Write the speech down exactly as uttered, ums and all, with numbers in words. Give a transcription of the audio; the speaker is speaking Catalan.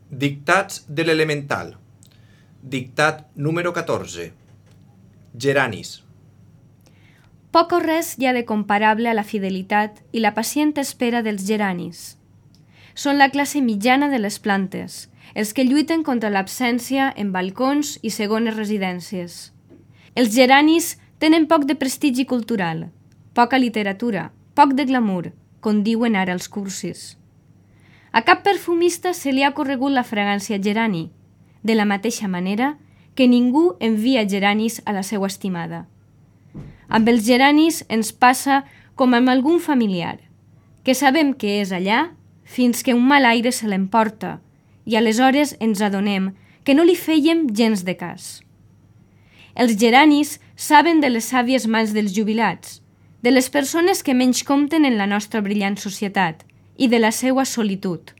Dictats de l'elemental. Dictat número catorze. Geranis. Poc o res hi ha de comparable a la fidelitat i la pacient espera dels geranis. Són la classe mitjana de les plantes, els que lluiten contra l'absència en balcons i segones residències. Els geranis tenen poc de prestigi cultural, poca literatura, poc de glamour, com diuen ara els cursis. A cap perfumista se li ha corregut la fragància gerani, de la mateixa manera que ningú envia geranis a la seva estimada. Amb els geranis ens passa com amb algun familiar, que sabem que és allà fins que un mal aire se l'emporta i aleshores ens adonem que no li fèiem gens de cas. Els geranis saben de les sàvies mans dels jubilats, de les persones que menys compten en la nostra brillant societat i de la seva solitud.